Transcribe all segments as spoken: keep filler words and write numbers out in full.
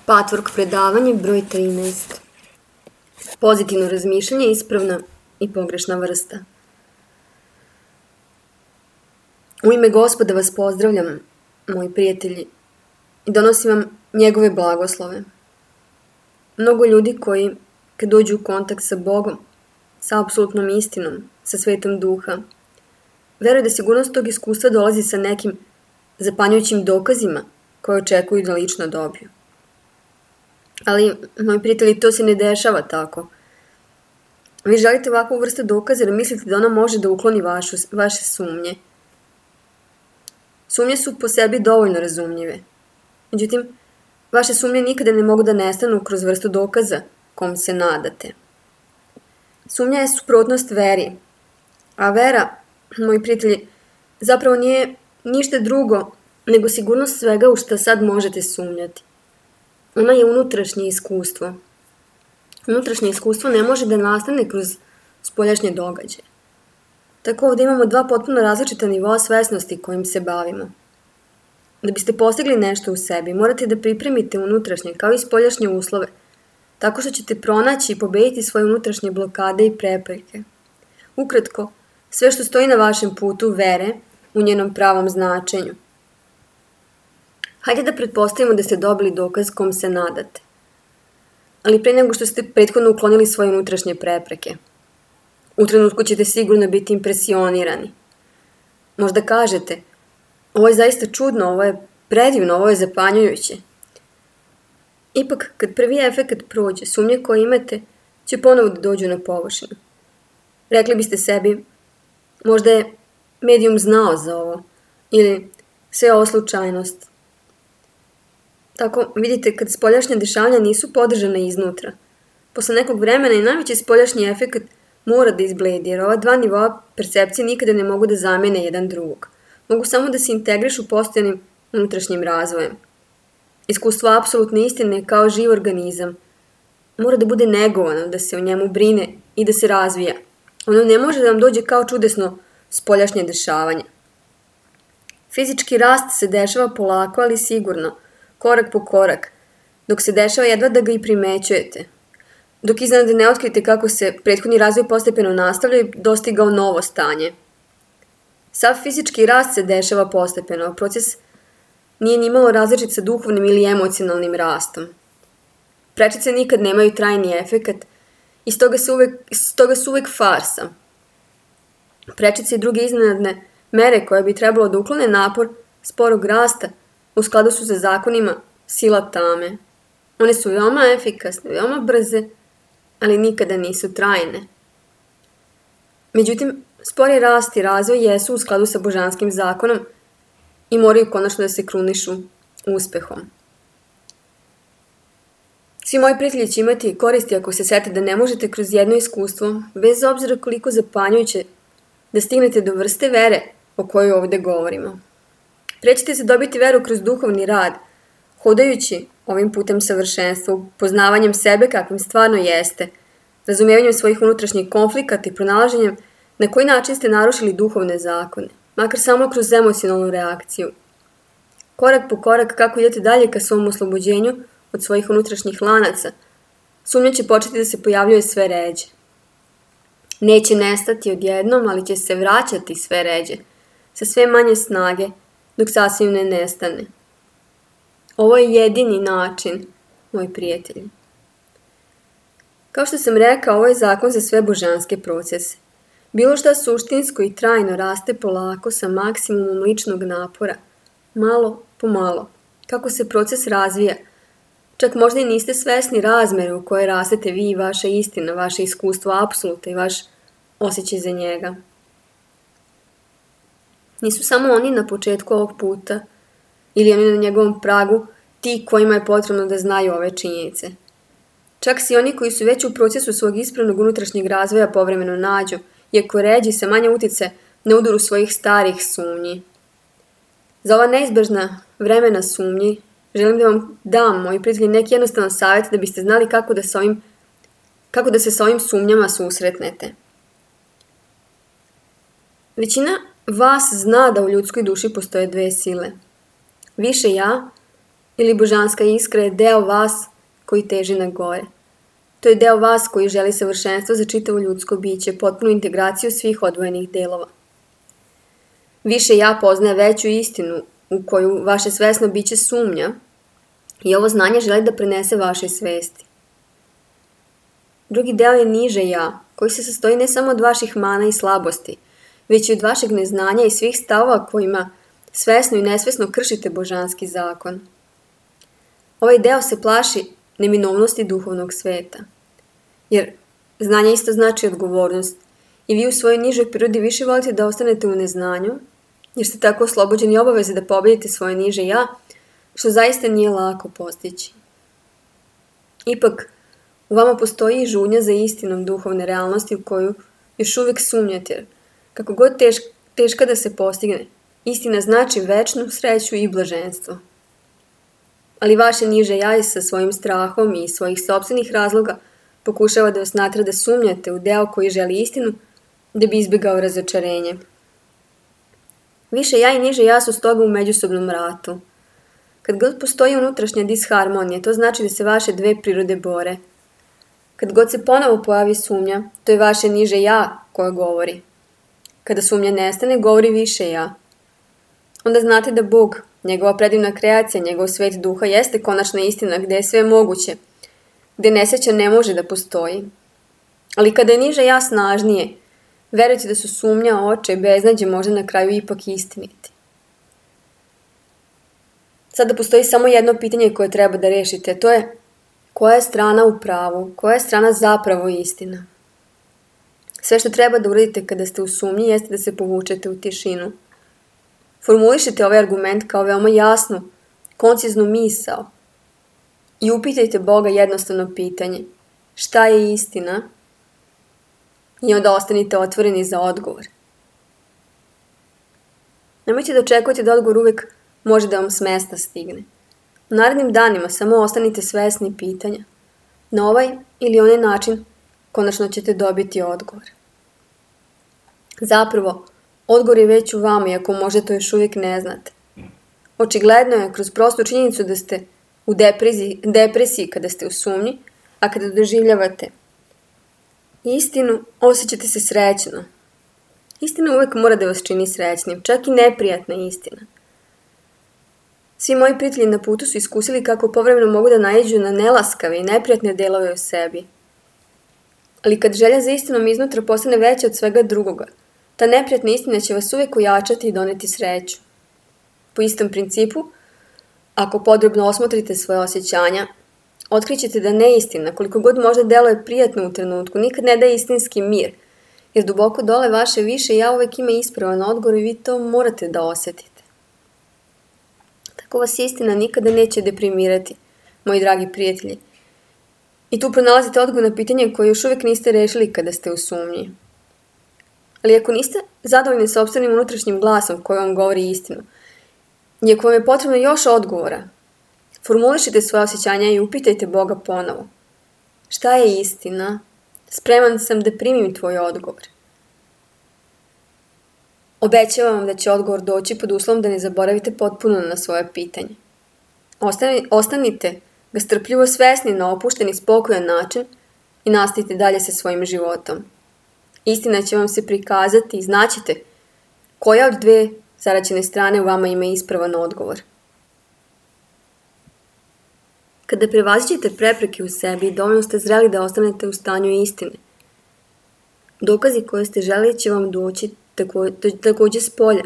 Patvork predavanje broj trinaest. Pozitivno razmišljanje je ispravna i pogrešna vrsta. U ime Gospoda vas pozdravljam, moji prijatelji, i donosim vam njegove blagoslove. Mnogo ljudi koji, kad dođu u kontakt sa Bogom, sa apsolutnom istinom, sa svetom duha, veruju da sigurnost tog iskustva dolazi sa nekim zapanjujućim dokazima koje očekuju da lično dobiju. Ali, moji prijatelji, to se ne dešava tako. Vi želite ovakvu vrstu dokaza jer mislite da ona može da ukloni vašu, vaše sumnje. Sumnje su po sebi dovoljno razumljive. Međutim, vaše sumnje nikada ne mogu da nestanu kroz vrstu dokaza kom se nadate. Sumnja je suprotnost veri, a vera, moji prijatelji, zapravo nije ništa drugo nego sigurnost svega u što sad možete sumnjati. Ona je unutrašnje iskustvo. Unutrašnje iskustvo ne može da nastane kroz spoljašnje događaje. Tako ovdje imamo dva potpuno različita nivoa svesnosti kojim se bavimo. Da biste postigli nešto u sebi, morate da pripremite unutrašnje kao i spoljašnje uslove, tako što ćete pronaći i pobediti svoje unutrašnje blokade i prepreke. Ukratko, sve što stoji na vašem putu vere u njenom pravom značenju. Hajde da pretpostavimo da ste dobili dokaz kom se nadate. Ali pre nego što ste prethodno uklonili svoje unutrašnje prepreke. U trenutku ćete sigurno biti impresionirani. Možda kažete, ovo je zaista čudno, ovo je predivno, ovo je zapanjujuće. Ipak, kad prvi efekat prođe, sumnje koje imate će ponovo da dođu na površinu. Rekli biste sebi, možda je medijum znao za ovo, ili sve ovo slučajnost. Tako, vidite, kad spoljašnja dešavanja nisu podržana iznutra, posle nekog vremena i najveći spoljašnji efekat mora da izbledi, jer ova dva nivoa percepcije nikada ne mogu da zamene jedan drugog. Mogu samo da se integrišu postojanim unutrašnjim razvojem. Iskustvo apsolutne istine kao živ organizam mora da bude negovano, da se o njemu brine i da se razvija. Ono ne može da vam dođe kao čudesno spoljašnje dešavanje. Fizički rast se dešava polako, ali sigurno, korak po korak, dok se dešava jedva da ga i primećujete. Dok iznad ne otkrite kako se prethodni razvoj postepeno nastavlja i dostigao novo stanje. Sav fizički rast se dešava postepeno, a proces nije nimalo različit sa duhovnim ili emocionalnim rastom. Prečice nikad nemaju trajni efekat i stoga, se uvek, stoga su uvek farsa. Prečice i druge iznenadne mere koje bi trebalo da uklone napor sporog rasta u skladu su sa zakonima sila tame. One su veoma efikasne, veoma brze, ali nikada nisu trajne. Međutim, spori rast i razvoj jesu u skladu sa božanskim zakonom i moraju konačno da se krunišu uspehom. Svi moji prijatelji će imati koristi ako se sete da ne možete kroz jedno iskustvo, bez obzira koliko zapanjujuće, da stignete do vrste vere o kojoj ovde govorimo. Prećete se dobiti veru kroz duhovni rad, hodajući ovim putem savršenstva, poznavanjem sebe kakvim stvarno jeste, razumijevanjem svojih unutrašnjih konflikata i pronalaženjem na koji način ste narušili duhovne zakone, makar samo kroz emocionalnu reakciju. Korak po korak kako idete dalje ka svom oslobođenju od svojih unutrašnjih lanaca, sumnja će početi da se pojavljuje sve ređe. Neće nestati odjednom, ali će se vraćati sve ređe, sa sve manje snage, dok sasvim ne nestane. Ovo je jedini način, moji prijatelji. Kao što sam rekao, ovo je zakon za sve božanske procese. Bilo šta suštinsko i trajno raste polako sa maksimumom ličnog napora, malo po malo, kako se proces razvija. Čak možda i niste svesni razmere u kojoj rastete vi i vaša istina, vaše iskustvo apsoluta i vaš osjećaj za njega. Nisu samo oni na početku ovog puta ili oni na njegovom pragu ti kojima je potrebno da znaju ove činjenice. Čak si oni koji su već u procesu svog ispravnog unutrašnjeg razvoja povremeno nađu, iako ređi sa manje utice na udaru svojih starih sumnji. Za ova neizbežna vremena sumnji želim da vam dam, moji prijatelji, neki jednostavan savjet da biste znali kako da, se ovim, kako da se sa ovim sumnjama susretnete. Većina vas zna da u ljudskoj duši postoje dve sile. Više ja ili božanska iskra je deo vas koji teži na gore. To je deo vas koji želi savršenstvo za čitavo ljudsko biće, potpunu integraciju svih odvojenih delova. Više ja poznaje veću istinu u koju vaše svesno biće sumnja i ovo znanje želi da prenese vašoj svesti. Drugi deo je niže ja, koji se sastoji ne samo od vaših mana i slabosti, već i od vašeg neznanja i svih stavova kojima svesno i nesvesno kršite božanski zakon. Ovaj deo se plaši neminovnosti duhovnog sveta, jer znanje isto znači odgovornost i vi u svojoj nižoj prirodi više volite da ostanete u neznanju, jer ste tako oslobođeni obaveze da pobedite svoje niže ja, što zaista nije lako postići. Ipak, u vama postoji i žudnja za istinom duhovne realnosti u koju još uvijek sumnjate, kako god teška, teška da se postigne. Istina znači večnu sreću i blaženstvo. Ali vaše niže ja sa svojim strahom i svojih sopstvenih razloga pokušava da vas natra da sumnjate u deo koji želi istinu da bi izbjegao razočarenje. Više ja i niže ja su stoga u međusobnom ratu. Kad god postoji unutrašnja disharmonija, to znači da se vaše dve prirode bore. Kad god se ponovo pojavi sumnja, to je vaše niže ja koja govori. Kada sumnja nestane, govori više ja. Onda znate da Bog, njegova predivna kreacija, njegov svet duha jeste konačna istina gde je sve moguće, gde nesreća ne može da postoji. Ali kada je niže ja snažnije, verujte da su sumnja, oče i beznađe možda na kraju ipak istiniti. Sada postoji samo jedno pitanje koje treba da rešite, to je koja je strana u pravu, koja je strana zapravo istina. Sve što treba da uradite kada ste u sumnji jeste da se povučete u tišinu. Formulišite ovaj argument kao veoma jasnu, konciznu misao i upitajte Boga jednostavno pitanje: šta je istina? I onda ostanite otvoreni za odgovor. Nemojte da očekujete da odgovor uvek može da vam s mesta stigne. U narednim danima samo ostanite svesni pitanja. Na ovaj ili onaj način konačno ćete dobiti odgovor. Zapravo, odgovor je već u vama, iako možda to još uvijek ne znate. Očigledno je kroz prostu činjenicu da ste u depresiji, depresiji kada ste u sumnji, a kada doživljavate istinu, osjećate se srećno. Istina uvijek mora da vas čini srećnim, čak i neprijatna istina. Svi moji prijatelji na putu su iskusili kako povremeno mogu da naiđu na nelaskave i neprijatne delove u sebi. Ali kad želja za istinom iznutra postane veća od svega drugoga, ta neprijatna istina će vas uvijek ojačati i doneti sreću. Po istom principu, ako podrobno osmotrite svoje osjećanja, otkrićete da neistina, koliko god možda deluje prijatno u trenutku, nikad ne daje istinski mir, jer duboko dole vaše više ja uvijek ima ispravan odgovor i vi to morate da osjetite. Tako vas istina nikada neće deprimirati, moji dragi prijatelji. I tu pronalazite odgovor na pitanje koje još uvijek niste rešili kada ste u sumnji. Ali ako niste zadovoljni sopstvenim unutrašnjim glasom koji vam govori istinu, i ako vam je potrebno još odgovora, formulišite svoje osjećanja i upitajte Boga ponovo. Šta je istina? Spreman sam da primim tvoj odgovor. Obećavam vam da će odgovor doći pod uslovom da ne zaboravite potpuno na svoje pitanje. Ostani, ostanite ga strpljivo svesni na opušten i spokojan način i nastavite dalje sa svojim životom. Istina će vam se prikazati i znaćete koja od dve zaraćene strane u vama ima ispravan odgovor. Kada prevaziđete prepreke u sebi, dovoljno ste zreli da ostanete u stanju istine. Dokazi koje ste želeli će vam doći tako, također s polja.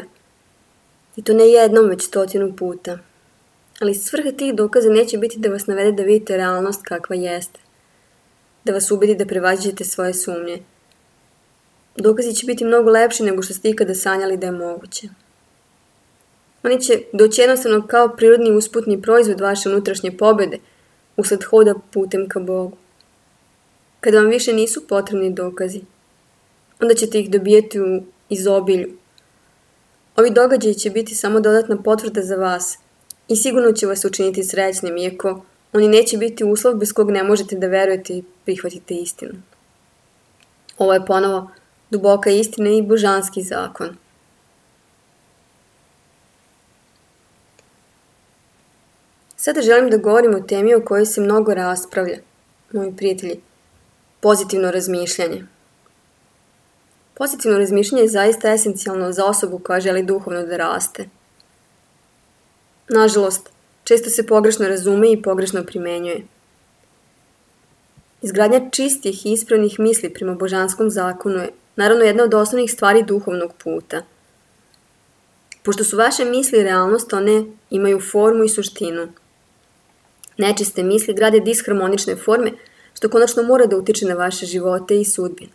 I to ne jednom, već stotinu puta. Ali svrha tih dokaza neće biti da vas navede da vidite realnost kakva jeste. Da vas ubedi da prevaziđete svoje sumnje. Dokazi će biti mnogo lepši nego što ste ikada sanjali da je moguće. Oni će doći jednostavno kao prirodni usputni proizvod vaše unutrašnje pobjede usled hoda putem ka Bogu. Kada vam više nisu potrebni dokazi, onda ćete ih dobijeti u izobilju. Ovi događaji će biti samo dodatna potvrda za vas i sigurno će vas učiniti srećnim, iako oni neće biti uslov bez kog ne možete da verujete i prihvatite istinu. Ovo je ponovo duboka istina i božanski zakon. Sada želim da govorim o temi o kojoj se mnogo raspravlja, moji prijatelji, pozitivno razmišljanje. Pozitivno razmišljanje je zaista esencijalno za osobu koja želi duhovno da raste. Nažalost, često se pogrešno razume i pogrešno primenjuje. Izgradnja čistih i ispravnih misli prema božanskom zakonu je naravno jedna od osnovnih stvari duhovnog puta. Pošto su vaše misli realnost, one imaju formu i suštinu. Nečiste misli grade disharmonične forme, što konačno mora da utiče na vaše živote i sudbine.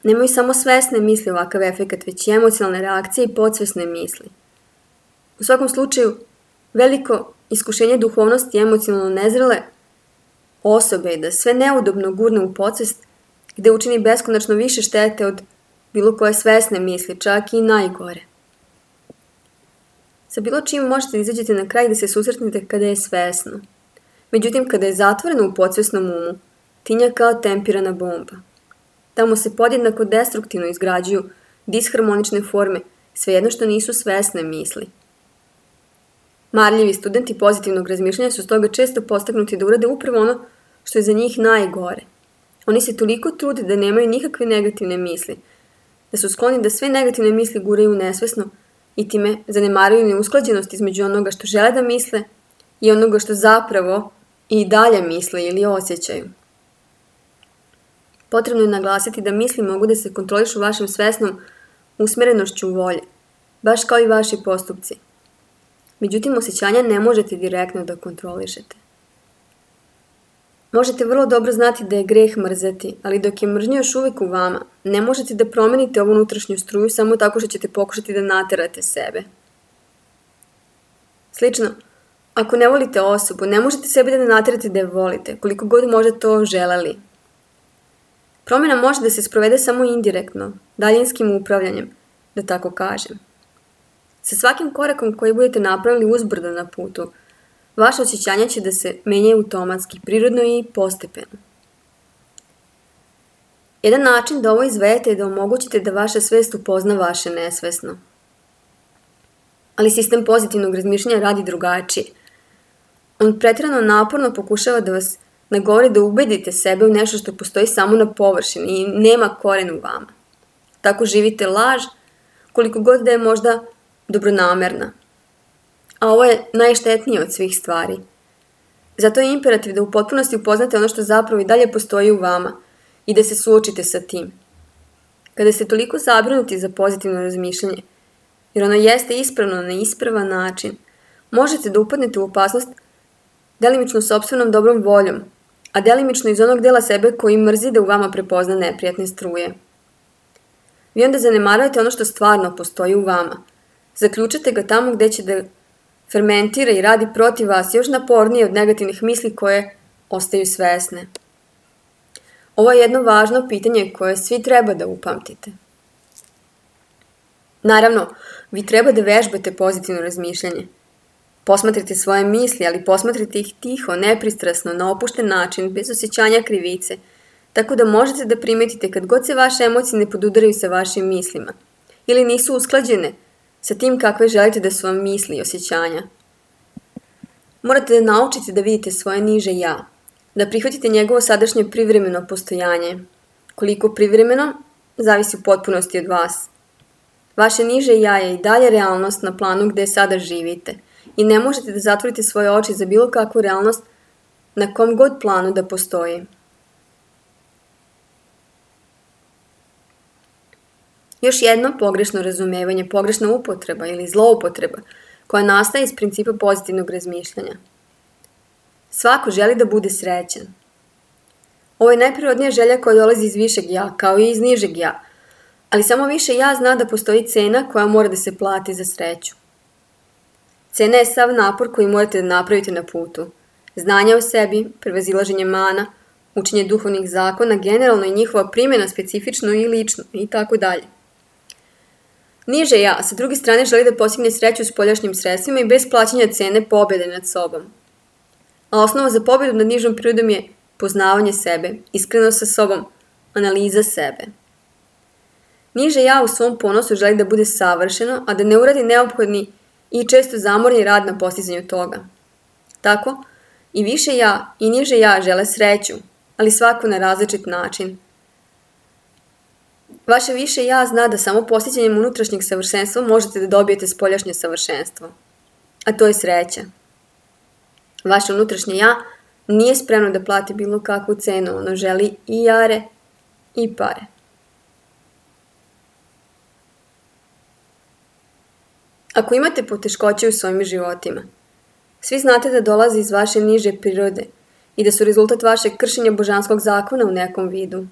Nemaju samo svesne misli ovakav efekat, već i emocionalne reakcije i podsvesne misli. U svakom slučaju, veliko iskušenje duhovnosti i emocionalno nezrele osobe je da sve neudobno gurne u podsvest, gde učini beskonačno više štete od bilo koje svesne misli, čak i najgore. Sa bilo čim možete da izađete na kraj da se susretnete kada je svesno. Međutim, kada je zatvoreno u podsvesnom umu, tinja kao tempirana bomba. Tamo se podjednako destruktivno izgrađuju disharmonične forme, svejedno što nisu svesne misli. Marljivi studenti pozitivnog razmišljanja su stoga često postaknuti da urade upravo ono što je za njih najgore. Oni se toliko trude da nemaju nikakve negativne misli, da su skloni da sve negativne misli guraju nesvesno i time zanemaruju neusklađenost između onoga što žele da misle i onoga što zapravo i dalje misle ili osjećaju. Potrebno je naglasiti da misli mogu da se kontrolišu vašem svesnom usmerenošću volje, baš kao i vaši postupci. Međutim, osjećanja ne možete direktno da kontrolišete. Možete vrlo dobro znati da je greh mrzeti, ali dok je mržnja još uvijek u vama, ne možete da promenite ovu unutrašnju struju samo tako što ćete pokušati da naterate sebe. Slično, ako ne volite osobu, ne možete sebe da ne naterate da je volite, koliko god možete to želeli. Promjena može da se sprovede samo indirektno, daljinskim upravljanjem, da tako kažem. Sa svakim korakom koji budete napravili uzbrdo na putu, vaše osjećanja će da se menjaju automatski, prirodno i postepeno. Jedan način da ovo izvedete je da omogućite da vaša svest upozna vaše nesvesno. Ali sistem pozitivnog razmišljanja radi drugačije. On pretjerano naporno pokušava da vas nagovori da ubedite sebe u nešto što postoji samo na površini i nema koren u vama. Tako živite laž, koliko god da je možda dobronamerna. A ovo je najštetnije od svih stvari. Zato je imperativ da u potpunosti upoznate ono što zapravo i dalje postoji u vama i da se suočite sa tim. Kada ste toliko zabrinuti za pozitivno razmišljanje, jer ono jeste ispravno na ispravan način, možete da upadnete u opasnost delimično sopstvenom dobrom voljom, a delimično iz onog dela sebe koji mrzi da u vama prepozna neprijatne struje. Vi onda zanemarujete ono što stvarno postoji u vama. Zaključate ga tamo gde će da fermentira i radi protiv vas još napornije od negativnih misli koje ostaju svesne. Ovo je jedno važno pitanje koje svi treba da upamtite. Naravno, vi treba da vežbate pozitivno razmišljanje. Posmatrite svoje misli, ali posmatrite ih tiho, nepristrasno, na opušten način, bez osjećanja krivice, tako da možete da primetite kad god se vaše emocije ne podudaraju sa vašim mislima ili nisu usklađene sa tim kakve želite da su vam misli i osjećanja. Morate da naučite da vidite svoje niže ja, da prihvatite njegovo sadašnje privremeno postojanje. Koliko privremeno, zavisi u potpunosti od vas. Vaše niže ja je i dalje realnost na planu gde sada živite i ne možete da zatvorite svoje oči za bilo kakvu realnost na kom god planu da postoji. Još jedno pogrešno razumevanje, pogrešna upotreba ili zloupotreba koja nastaje iz principa pozitivnog razmišljanja. Svako želi da bude srećan. Ovo je najprirodnija želja koja dolazi iz višeg ja, kao i iz nižeg ja, ali samo više ja zna da postoji cena koja mora da se plati za sreću. Cena je sav napor koji morate da napravite na putu. Znanje o sebi, prevazilaženje mana, učenje duhovnih zakona, generalno i njihova primjena specifično i lično i tako dalje. Niže ja, sa druge strane, želi da postigne sreću s poljašnjim sredstvima i bez plaćanja cene pobjede nad sobom. A osnova za pobjedu nad nižom prirodom je poznavanje sebe, iskreno sa sobom, analiza sebe. Niže ja u svom ponosu želi da bude savršeno, a da ne uradi neophodni i često zamorni rad na postizanju toga. Tako, i više ja i niže ja žele sreću, ali svako na različit način. Vaše više ja zna da samo postizanjem unutrašnjeg savršenstva možete da dobijete spoljašnje savršenstvo, a to je sreća. Vaše unutrašnje ja nije spremno da plati bilo kakvu cenu, ono želi i jare i pare. Ako imate poteškoće u svojim životima, svi znate da dolaze iz vaše niže prirode i da su rezultat vašeg kršenja božanskog zakona u nekom vidu,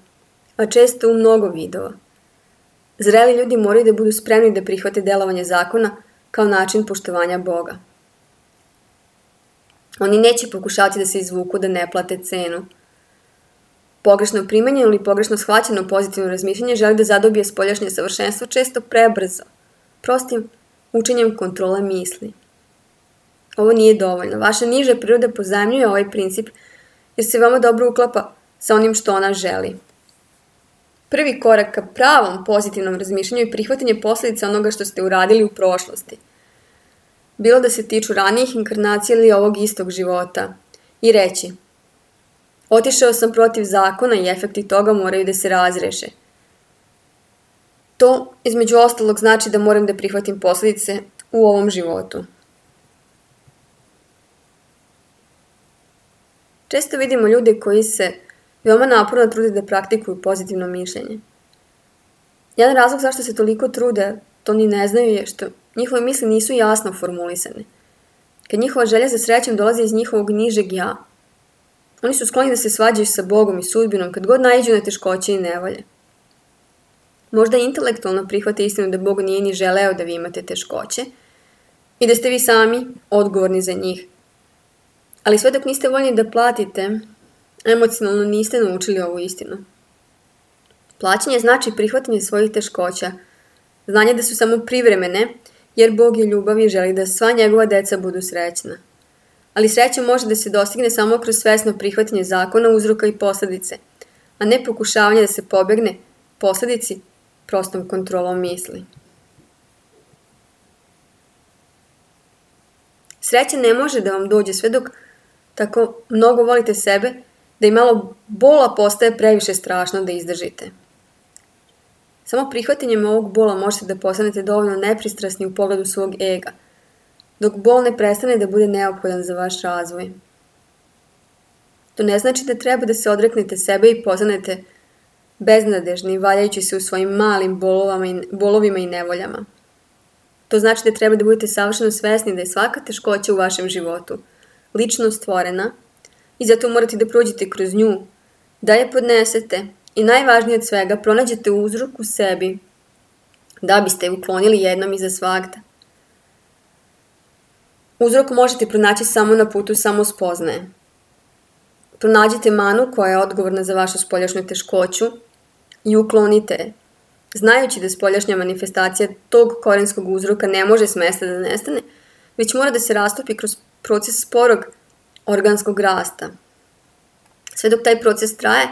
a često u mnogo vidova. Zreli ljudi moraju da budu spremni da prihvate delovanje zakona kao način poštovanja Boga. Oni neće pokušati da se izvuku da ne plate cenu. Pogrešno primanje ili pogrešno shvaćeno pozitivno razmišljanje želi da zadobije spoljašnje savršenstvo često prebrzo, prostim učenjem kontrole misli. Ovo nije dovoljno. Vaša niža priroda pozajmljuje ovaj princip jer se vama dobro uklapa sa onim što ona želi. Prvi korak ka pravom pozitivnom razmišljanju je prihvatanje posljedica onoga što ste uradili u prošlosti. Bilo da se tiču ranijih inkarnacija ili ovog istog života. I reći, otišao sam protiv zakona i efekti toga moraju da se razreše. To, između ostalog, znači da moram da prihvatim posljedice u ovom životu. Često vidimo ljude koji se veoma naporno trude da praktikuju pozitivno mišljenje. Jedan razlog zašto se toliko trude, to ni ne znaju, je što njihove misli nisu jasno formulisane. Kad njihova želja za srećom dolazi iz njihovog nižeg ja, oni su skloni da se svađaju sa Bogom i sudbinom kad god naiđu na teškoće i nevolje. Možda intelektualno prihvate istinu da Bog nije ni želeo da vi imate teškoće i da ste vi sami odgovorni za njih. Ali sve dok niste voljni da platite, emocionalno niste naučili ovu istinu. Plaćanje znači prihvatanje svojih teškoća, znanje da su samo privremene, jer Bog je ljubav i želi da sva njegova deca budu srećna. Ali sreća može da se dostigne samo kroz svesno prihvatanje zakona, uzroka i posljedice, a ne pokušavanje da se pobegne posljedici prostom kontrolom misli. Sreća ne može da vam dođe sve dok tako mnogo volite sebe da i malo bola postaje previše strašno da izdržite. Samo prihvatanjem ovog bola možete da postanete dovoljno nepristrasni u pogledu svog ega, dok bol ne prestane da bude neophodan za vaš razvoj. To ne znači da treba da se odreknete sebe i postanete beznadežni, valjajući se u svojim malim bolovima i nevoljama. To znači da treba da budete savršeno svesni da je svaka teškoća u vašem životu lično stvorena i zato morate da prođete kroz nju, da je podnesete i najvažnije od svega pronađete uzrok u sebi da biste je uklonili jednom i za svagda. Uzrok možete pronaći samo na putu samospoznaje. Pronađite manu koja je odgovorna za vašu spoljašnju teškoću i uklonite je, znajući da spoljašnja manifestacija tog korenskog uzroka ne može s mesta da nestane, već mora da se rastopi kroz proces sporog organskog rasta. Sve dok taj proces traje,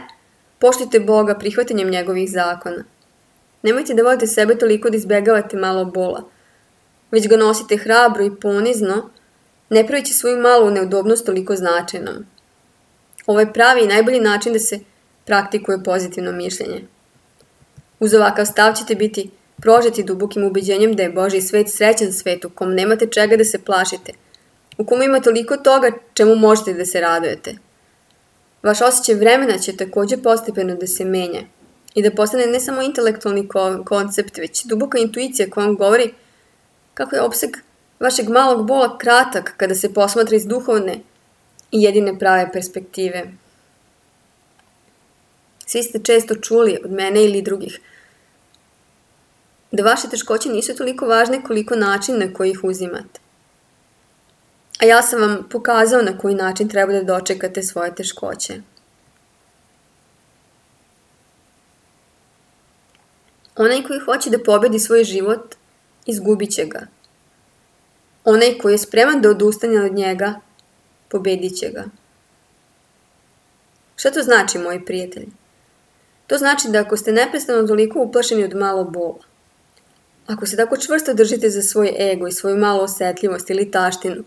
poštujte Boga prihvatanjem njegovih zakona. Nemojte da volite sebe toliko da izbegavate malo bola, već ga nosite hrabro i ponizno, ne pravići svoju malu neudobnost toliko značajnom. Ovo je pravi i najbolji način da se praktikuje pozitivno mišljenje. Uz ovakav stav ćete biti prožeti dubokim ubeđenjem da je Božji svet srećan svet u kom nemate čega da se plašite, u kom ima toliko toga čemu možete da se radujete. Vaš osjećaj vremena će također postepeno da se menja i da postane ne samo intelektualni koncept, već duboka intuicija koja vam govori kako je opseg vašeg malog bola kratak kada se posmatra iz duhovne i jedine prave perspektive. Svi ste često čuli od mene ili drugih da vaše teškoće nisu toliko važne koliko način na koji ih uzimate. A ja sam vam pokazao na koji način treba da dočekate svoje teškoće. Onaj koji hoće da pobedi svoj život, izgubit će ga. Onaj koji je spreman da odustane od njega, pobedit će ga. Šta to znači, moji prijatelji? To znači da ako ste neprestano toliko uplašeni od malo bola, Ako se tako čvrsto držite za svoj ego i svoju malu osetljivost ili taštinu,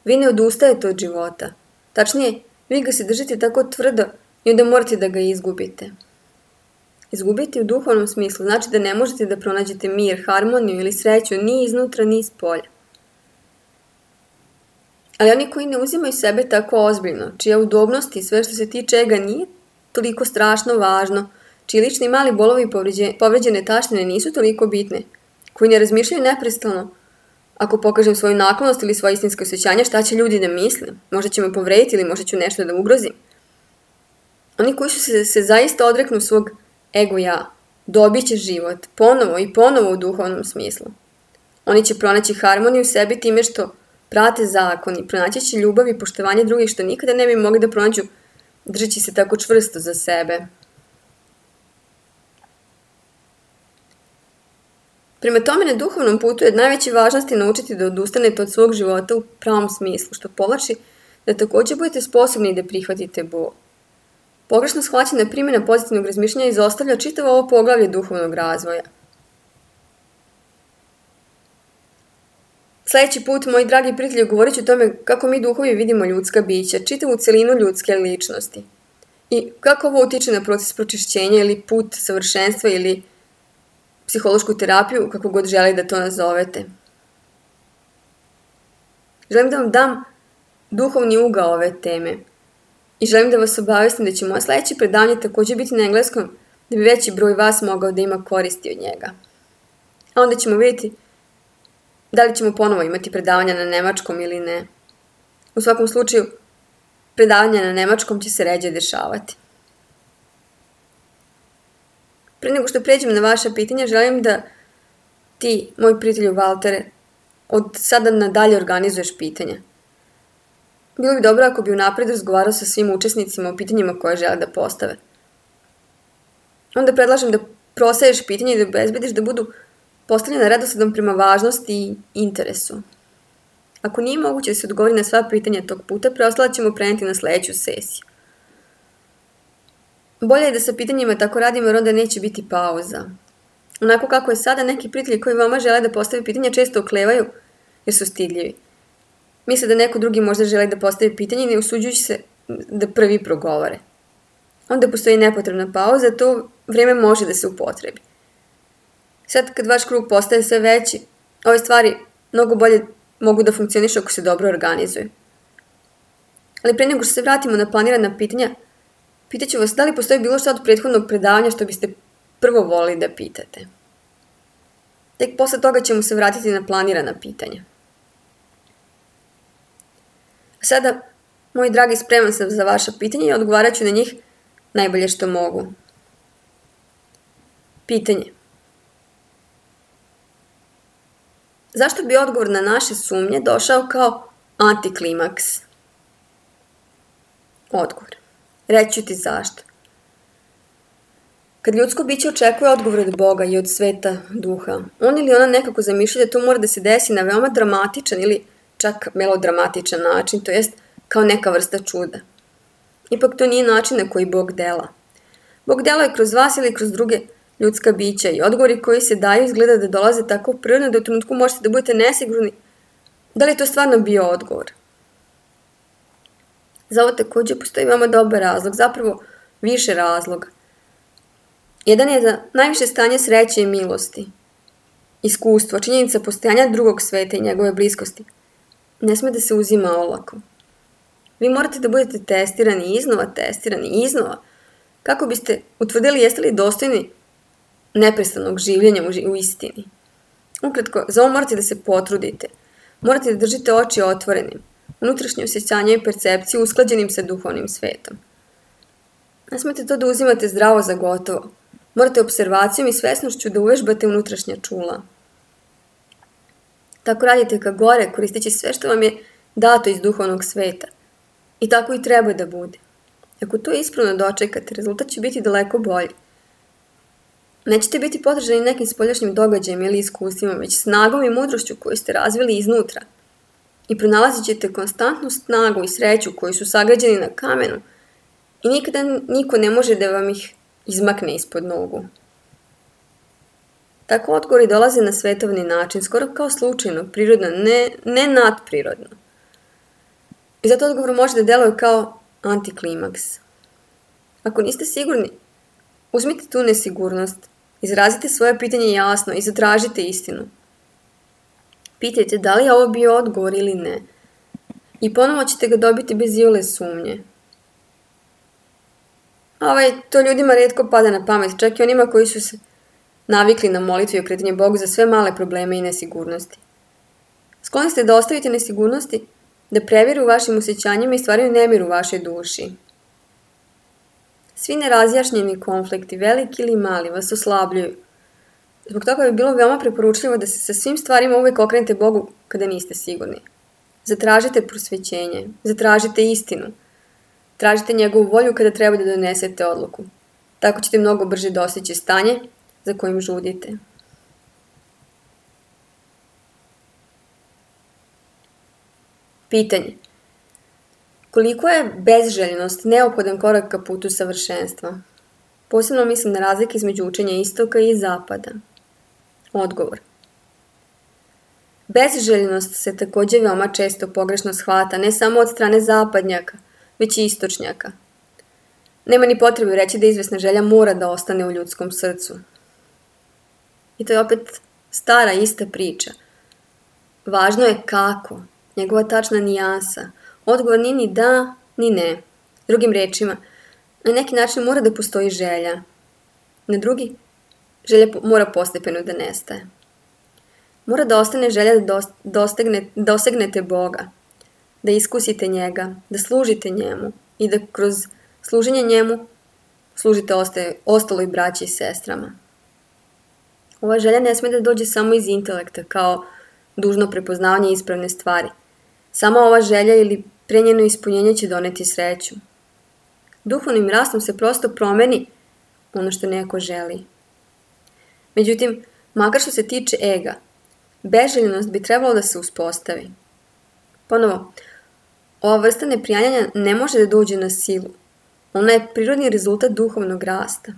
vi ne odustajete od života. Tačnije, vi ga se držite tako tvrdo i onda morate da ga izgubite. Izgubiti u duhovnom smislu znači da ne možete da pronađete mir, harmoniju ili sreću ni iznutra ni ispolja. Ali oni koji ne uzimaju sebe tako ozbiljno, čija udobnost i sve što se tiče ega nije toliko strašno važno, čiji lični mali bolovi i povređene taštine nisu toliko bitne, koji ne razmišljaju neprestano, ako pokažem svoju naklonost ili svoje istinske osjećanja, šta će ljudi da misle, možda će me povrediti ili možda ću nešto da ugrozim. Oni koji su se, se zaista odreknu svog ego ja, dobit će život, ponovo i ponovo u duhovnom smislu. Oni će pronaći harmoniju u sebi time što prate zakon i pronaći će ljubav i poštovanje drugih što nikada ne bi mogli da pronađu držeći se tako čvrsto za sebe. Prema tome, na duhovnom putu je od najveće važnosti naučiti da odustanete od svog života u pravom smislu, što povlači da također budete sposobni da prihvatite bol. Pogrešno shvaćena primjena pozitivnog razmišljanja izostavlja čitavo ovo poglavlje duhovnog razvoja. Sljedeći put, moji dragi prijatelji, govorit ću o tome kako mi duhovi vidimo ljudska bića, čitavu celinu ljudske ličnosti. I kako ovo utiče na proces pročišćenja ili put savršenstva ili psihološku terapiju, kako god želi da to nazovete. Želim da vam dam duhovni ugao ove teme i želim da vas obavestim da će moje sljedeće predavanje također biti na engleskom, da bi veći broj vas mogao da ima koristi od njega. A onda ćemo vidjeti da li ćemo ponovo imati predavanja na nemačkom ili ne. U svakom slučaju, predavanja na nemačkom će se ređe dešavati. Prije nego što pređem na vaša pitanja, želim da ti, moj prijatelju Valtere, od sada nadalje organizuješ pitanja. Bilo bi dobro ako bi unaprijed razgovarao sa svim učesnicima o pitanjima koje žele da postave. Onda predlažem da prosaješ pitanje i da obezbediš da budu postavljena redosledom prema važnosti i interesu. Ako nije moguće da se odgovori na sva pitanja tog puta, preostala ćemo preneti na sljedeću sesiju. Bolje je da sa pitanjima tako radimo jer onda neće biti pauza. Onako kako je sada, neki prijatelji koji vama žele da postave pitanja često oklevaju jer su stidljivi. Misle da neko drugi možda želi da postavi pitanje i ne usuđujući se da prvi progovore. Onda postoji nepotrebna pauza, to vrijeme može da se upotrebi. Sad kad vaš krug postaje sve veći, ove stvari mnogo bolje mogu da funkcionišu ako se dobro organizuju. Ali prije nego što se vratimo na planirana pitanja, pitaću vas da li postoji bilo što od prethodnog predavanja što biste prvo volili da pitate. Tek posle toga ćemo se vratiti na planirana pitanja. Sada, moji dragi, spreman sam za vaša pitanja i odgovarat ću na njih najbolje što mogu. Pitanje. Zašto bi odgovor na naše sumnje došao kao antiklimaks? Odgovor. Reći ću ti zašto. Kad ljudsko biće očekuje odgovor od Boga i od sveta duha, on ili ona nekako zamišlja da to mora da se desi na veoma dramatičan ili čak melodramatičan način, to jest kao neka vrsta čuda. Ipak to nije način na koji Bog dela. Bog dela je kroz vas ili kroz druge ljudska bića i odgovori koji se daju izgleda da dolaze tako prirodno da u trenutku možete da budete nesigurni da li je to stvarno bio odgovor. Za ovo također postoji veoma dobar razlog, zapravo više razloga. Jedan je da najviše stanje sreće i milosti, iskustvo, činjenica postojanja drugog sveta i njegove bliskosti ne sme da se uzima olako. Vi morate da budete testirani, iznova testirani, iznova, kako biste utvrdili jeste li dostojni neprestanog življenja u istini. Ukratko, za ovo morate da se potrudite. Morate da držite oči otvorenim, unutrašnje osjećanje i percepciju usklađenim sa duhovnim svetom. Ne smete to da uzimate zdravo za gotovo. Morate observacijom i svesnošću da uvežbate unutrašnja čula. Tako radite ka gore, koristeći sve što vam je dato iz duhovnog sveta. I tako i treba da bude. Ako to ispravno dočekate, rezultat će biti daleko bolji. Nećete biti podržani nekim spoljašnjim događajem ili iskustvima, već snagom i mudrošću koju ste razvili iznutra. I pronalazit ćete konstantnu snagu i sreću koji su sagrađeni na kamenu i nikada niko ne može da vam ih izmakne ispod nogu. Tako odgovori dolaze na svetovni način, skoro kao slučajno, prirodno, ne, ne nadprirodno. I zato odgovor može da deluje kao antiklimaks. Ako niste sigurni, uzmite tu nesigurnost, izrazite svoje pitanje jasno i zatražite istinu. Pitajte da li je ovo bio odgovor ili ne. I ponovo ćete ga dobiti bez iole sumnje. Ovaj, to ljudima retko pada na pamet, čak i onima koji su se navikli na molitvu i okretanje Bogu za sve male probleme i nesigurnosti. Skloni ste da ostavite nesigurnosti, da previru u vašim osjećanjima i stvaraju nemir u vašoj duši. Svi nerazjašnjeni konflikti, veliki ili mali, vas oslabljuju. Zbog toga bi bilo veoma preporučljivo da se sa svim stvarima uvek okrenete Bogu kada niste sigurni. Zatražite prosvećenje, zatražite istinu. Tražite njegovu volju kada treba da donesete odluku. Tako ćete mnogo brže dostići stanje za kojim žudite. Pitanje. Koliko je bezželjenost neophodan korak ka putu savršenstva? Posebno mislim na razlike između učenja istoka i zapada. Odgovor. Bezželjenost se takođe veoma često pogrešno shvata, ne samo od strane zapadnjaka, već i istočnjaka. Nema ni potrebe reći da izvesna želja mora da ostane u ljudskom srcu. I to je opet stara ista priča. Važno je kako, njegova tačna nijansa. Odgovor nije ni da, ni ne. Drugim rečima, na neki način mora da postoji želja. Na drugi, želja mora postepeno da nestaje. Mora da ostane želja da dostegne, dosegnete Boga, da iskusite njega, da služite njemu i da kroz služenje njemu služite ostaje, ostaloj braći i sestrama. Ova želja ne sme da dođe samo iz intelekta, kao dužno prepoznavanje ispravne stvari. Sama ova želja ili prenjeno ispunjenje će doneti sreću. Duhovnim rastom se prosto promeni ono što neko želi. Međutim, makar što se tiče ega, bezželjenost bi trebalo da se uspostavi. Ponovo, ova vrsta neprijanjanja ne može da dođe na silu. Ona je prirodni rezultat duhovnog rasta.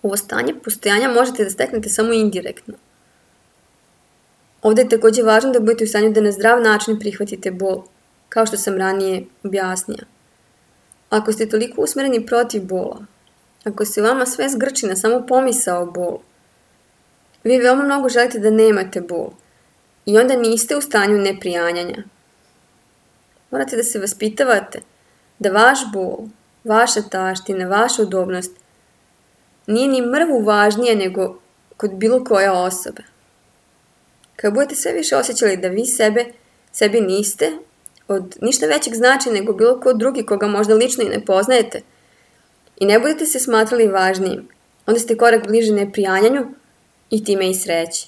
Ovo stanje postojanja možete da steknete samo indirektno. Ovde je takođe važno da budete u stanju da na zdrav način prihvatite bol, kao što sam ranije objasnila. Ako ste toliko usmereni protiv bola, ako se vama sve zgrči na samo pomisao o bolu, vi veoma mnogo želite da nemate bol i onda niste u stanju neprijanjanja. Morate da se vaspitavate da vaš bol, vaša taština, vaša udobnost nije ni mrvu važnija nego kod bilo koje osobe. Kad budete sve više osjećali da vi sebe, sebi niste od ništa većeg značaja nego bilo ko drugi koga možda lično i ne poznajete i ne budete se smatrali važnijim, onda ste korak bliže neprijanjanju i time i sreći.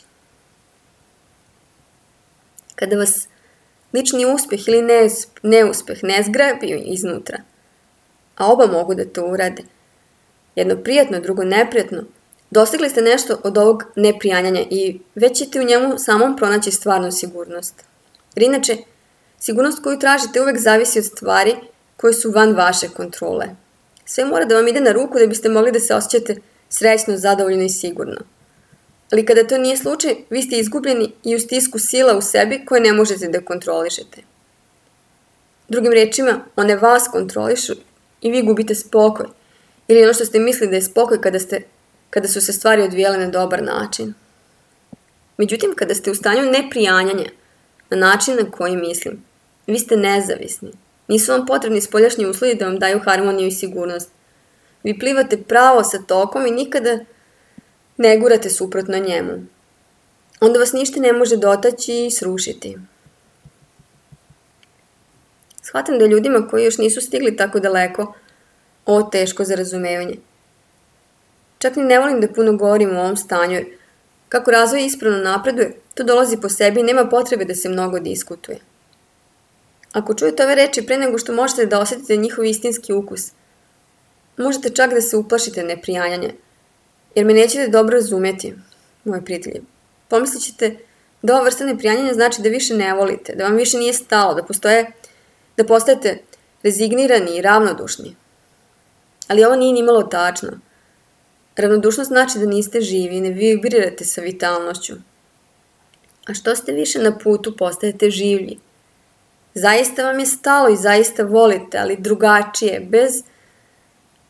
Kada vas lični uspeh ili neuspeh ne zgrabi iznutra, a oba mogu da to urade, jedno prijatno, drugo neprijatno, dostigli ste nešto od ovog neprijanjanja i već ćete u njemu samom pronaći stvarnu sigurnost. Jer inače, sigurnost koju tražite uvek zavisi od stvari koje su van vaše kontrole. Sve mora da vam ide na ruku da biste mogli da se osjećate srećno, zadovoljno i sigurno. Ali kada to nije slučaj, vi ste izgubljeni i u stisku sila u sebi koje ne možete da kontrolišete. Drugim rečima, one vas kontrolišu i vi gubite spokoj. Ili ono što ste mislili da je spokoj kada, ste, kada su se stvari odvijele na dobar način. Međutim, kada ste u stanju neprijanjanja, na način na koji mislim, vi ste nezavisni. Nisu vam potrebni spoljašnji uslovi da vam daju harmoniju i sigurnost. Vi plivate pravo sa tokom i nikada ne gurate suprotno njemu. Onda vas ništa ne može dotaći i srušiti. Shvatam da ljudima koji još nisu stigli tako daleko, ovo teško za razumevanje. Čak ni ne volim da puno govorim o ovom stanju, jer kako razvoj ispravno napreduje, to dolazi po sebi i nema potrebe da se mnogo diskutuje. Ako čujete ove reči pre nego što možete da osjetite njihov istinski ukus, možete čak da se uplašite neprijanjanja, jer me nećete dobro razumeti, moji prijatelji. Pomislit ćete da ova vrsta neprijanjanja znači da više ne volite, da vam više nije stalo, da, postoje, da postajete rezignirani i ravnodušni. Ali ovo nije nimalo tačno. Ravnodušnost znači da niste živi i ne vibrirate sa vitalnošću. A što ste više na putu, postajete življi. Zaista vam je stalo i zaista volite, ali drugačije, bez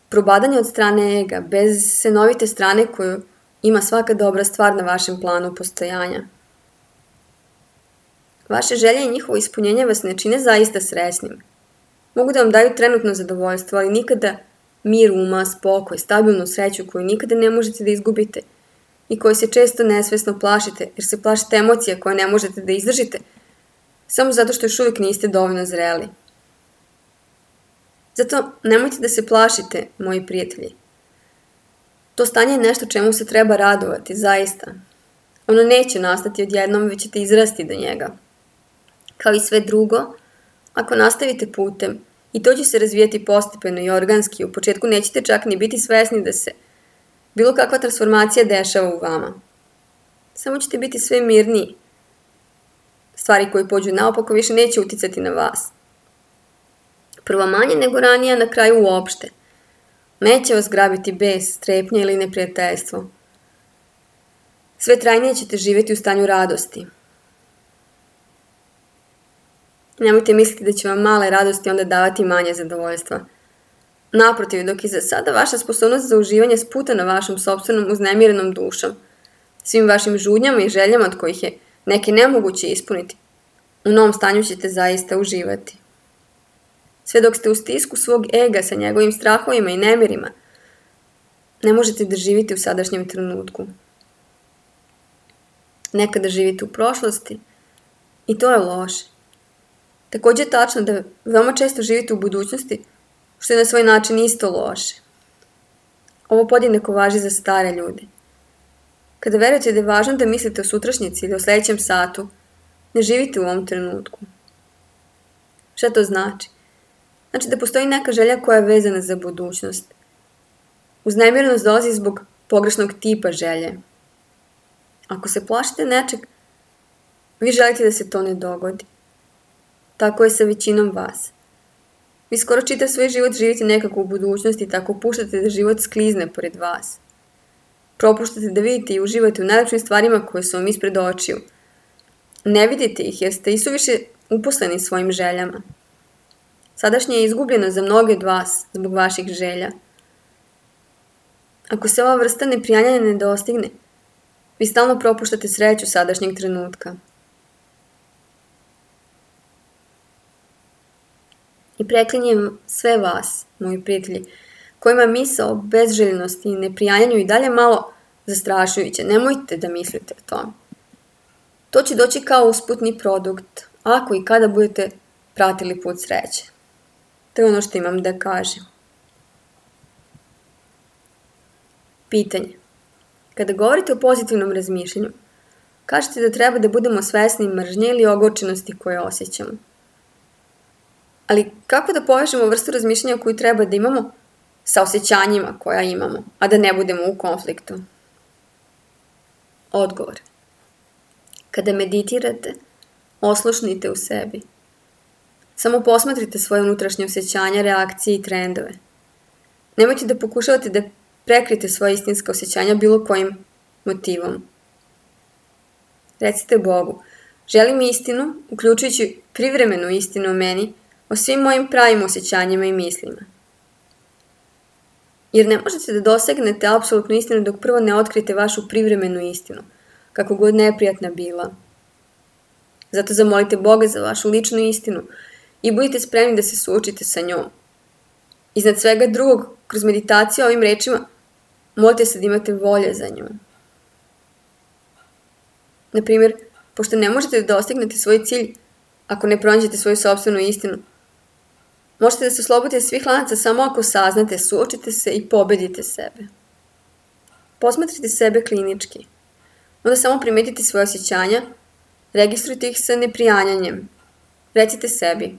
probadanja od strane ega, bez senovite strane koju ima svaka dobra stvar na vašem planu postojanja. Vaše želje i njihovo ispunjenje vas ne čine zaista srećnim. Mogu da vam daju trenutno zadovoljstvo, ali nikada mir uma, spokoj, stabilnu sreću koju nikada ne možete da izgubite i koju se često nesvesno plašite, jer se plašite emocija koje ne možete da izdržite, samo zato što još uvijek niste dovoljno zreli. Zato nemojte da se plašite, moji prijatelji. To stanje je nešto čemu se treba radovati, zaista. Ono neće nastati odjednom, već ćete izrasti do njega. Kao i sve drugo, ako nastavite putem, i to će se razvijati postepeno i organski, u početku nećete čak ni biti svesni da se bilo kakva transformacija dešava u vama. Samo ćete biti sve mirniji. Stvari koje pođu naopako više neće uticati na vas. Prvo manje nego ranije, na kraju uopšte. Neće vas grabiti bes, strepnja ili neprijateljstvo. Sve trajnije ćete živjeti u stanju radosti. Nemojte misliti da će vam male radosti onda davati manje zadovoljstva. Naprotiv, dok je za sada vaša sposobnost za uživanje sputana vašom sopstvenom uznemirenom dušom, svim vašim žudnjama i željama od kojih je neke nemoguće ispuniti, u novom stanju ćete zaista uživati. Sve dok ste u stisku svog ega sa njegovim strahovima i nemirima, ne možete da živite u sadašnjem trenutku. Nekada živite u prošlosti i to je loše. Također je tačno da veoma često živite u budućnosti, što je na svoj način isto loše. Ovo podjednako važi za stare ljude. Kada verujete da je važno da mislite o sutrašnjici ili o sljedećem satu, ne živite u ovom trenutku. Šta to znači? Znači da postoji neka želja koja je vezana za budućnost. Uznemirenost dolazi zbog pogrešnog tipa želje. Ako se plašite nečeg, vi želite da se to ne dogodi. Tako je sa većinom vas. Vi skoro čitav svoj život živite nekako u budućnosti i tako puštate da život sklizne pored vas. Propuštate da vidite i uživate u najlepšim stvarima koje su vam ispred očiju. Ne vidite ih jer ste isuviše uposleni svojim željama. Sadašnje je izgubljeno za mnoge od vas zbog vaših želja. Ako se ova vrsta neprijanjanja ne dostigne, vi stalno propuštate sreću sadašnjeg trenutka. I preklinjem sve vas, moji prijatelji, kojima misao o bezželjenosti i neprijanjanju i dalje malo zastrašujuće. Nemojte da mislite o tome. To će doći kao usputni produkt, ako i kada budete pratili put sreće. To je ono što imam da kažem. Pitanje. Kada govorite o pozitivnom razmišljanju, kažete da treba da budemo svesni mržnje ili ogorčenosti koje osjećamo. Ali kako da povežemo vrstu razmišljanja koju treba da imamo sa osjećanjima koja imamo, a da ne budemo u konfliktu? Odgovor. Kada meditirate, oslušnite u sebi. Samo posmatrite svoje unutrašnje osjećanja, reakcije i trendove. Nemojte da pokušavate da prekrite svoje istinska osjećanja bilo kojim motivom. Recite Bogu, želim istinu, uključujući privremenu istinu o meni, o svim mojim pravim osjećanjima i mislima. Jer ne možete da dosegnete apsolutnu istinu dok prvo ne otkrite vašu privremenu istinu, kako god neprijatna bila. Zato zamolite Boga za vašu ličnu istinu i budite spremni da se suočite sa njom. Iznad svega drugog, kroz meditaciju ovim rečima, molite se da imate volje za njom. Naprimjer, pošto ne možete da dostignete svoj cilj ako ne pronađete svoju sopstvenu istinu, možete da se oslobodite svih lanaca samo ako saznate, suočite se i pobedite sebe. Posmatrite sebe klinički. Onda samo primetite svoje osjećanja, registrujte ih sa neprijanjanjem. Recite sebi.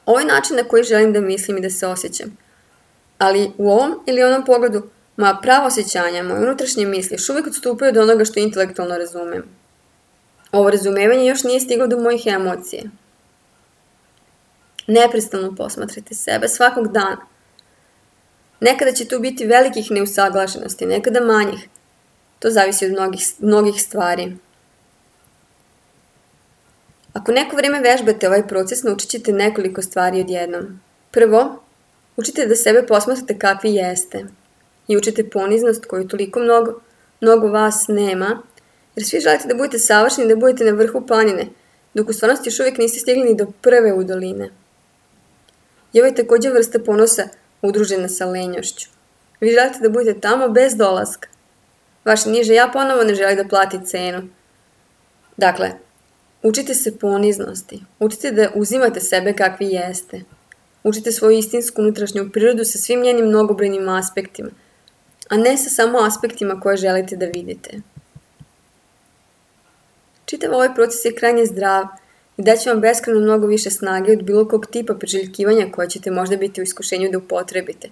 Ovo je način na koji želim da mislim i da se osjećam. Ali u ovom ili onom pogledu, moja prava osjećanja, moje unutrašnje misli još uvijek odstupaju od onoga što intelektualno razumem. Ovo razumevanje još nije stiglo do mojih emocije. Neprestano posmatrajte sebe svakog dana. Nekada će tu biti velikih neusaglašenosti, nekada manjih. To zavisi od mnogih, mnogih stvari. Ako neko vreme vežbate ovaj proces, naučit ćete nekoliko stvari odjednom. Prvo, učite da sebe posmatrate kakvi jeste i učite poniznost koju toliko mnogo, mnogo vas nema, jer svi želite da budete savršeni, da budete na vrhu planine, dok u stvarnosti još uvijek niste stigli ni do prve u doline. I ovo je također vrsta ponosa udružena sa lenjošću. Vi želite da budete tamo bez dolaska. Vaše niže ja ponovo ne želi da plati cenu. Dakle, učite se poniznosti, učite da uzimate sebe kakvi jeste. Učite svoju istinsku unutrašnju prirodu sa svim njenim mnogobrojnim aspektima, a ne sa samo aspektima koje želite da vidite. Čitav ovaj proces je krajnje zdrav i daće vam beskrajno mnogo više snage od bilo kog tipa priželjkivanja koje ćete možda biti u iskušenju da upotrebite,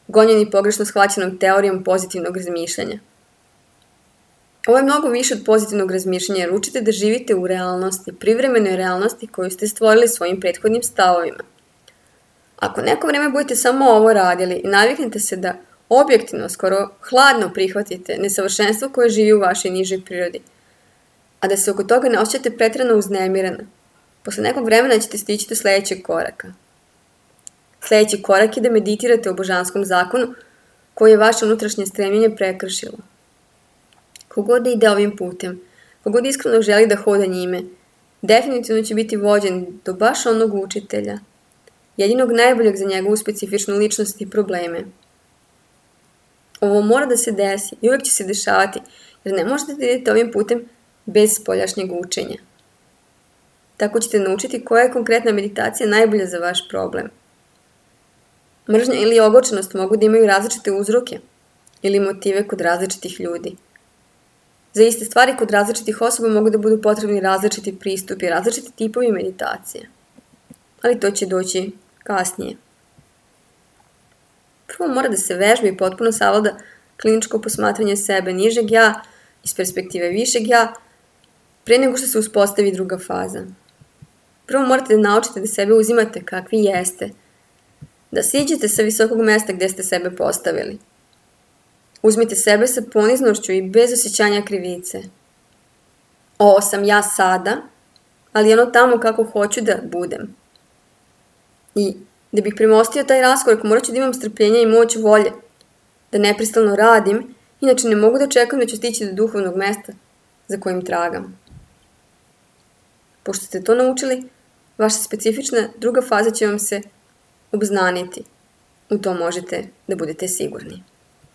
gonjeni pogrešno shvaćenom teorijom pozitivnog razmišljanja. Ovo je mnogo više od pozitivnog razmišljanja jer učite da živite u realnosti, privremenoj realnosti koju ste stvorili svojim prethodnim stavovima. Ako neko vreme budete samo ovo radili i naviknete se da objektivno, skoro hladno prihvatite nesavršenstvo koje živi u vašoj nižoj prirodi, a da se oko toga ne osjećate pretrano uznemirana, posle nekog vremena ćete stići do sljedećeg koraka. Sljedeći korak je da meditirate o božanskom zakonu koji je vaše unutrašnje stremljenje prekršilo. Kogod ide ovim putem, kogod iskreno želi da hoda njime, definitivno će biti vođen do baš onog učitelja, jedinog najboljeg za njegovu specifičnu ličnost i probleme. Ovo mora da se desi i uvijek će se dešavati, jer ne možete da idete ovim putem bez spoljašnjeg učenja. Tako ćete naučiti koja je konkretna meditacija najbolja za vaš problem. Mržnja ili ogorčenost mogu da imaju različite uzroke ili motive kod različitih ljudi. Za iste stvari kod različitih osoba mogu da budu potrebni različiti pristupi, različiti tipovi meditacije. Ali to će doći kasnije. Prvo mora da se vežba i potpuno savlada kliničko posmatranje sebe nižeg ja iz perspektive višeg ja, pre nego što se uspostavi druga faza. Prvo morate da naučite da sebe uzimate kakvi jeste, da siđete sa visokog mesta gde ste sebe postavili. Uzmite sebe sa poniznošću i bez osjećanja krivice. Ovo sam ja sada, ali ono tamo kako hoću da budem. I da bih premostio taj raskorak, morat ću da imam strpljenja i moć volje, da neprestano radim, inače ne mogu da čekam da ću stići do duhovnog mesta za kojim tragam. Pošto ste to naučili, vaša specifična druga faza će vam se obznaniti. U to možete da budete sigurni.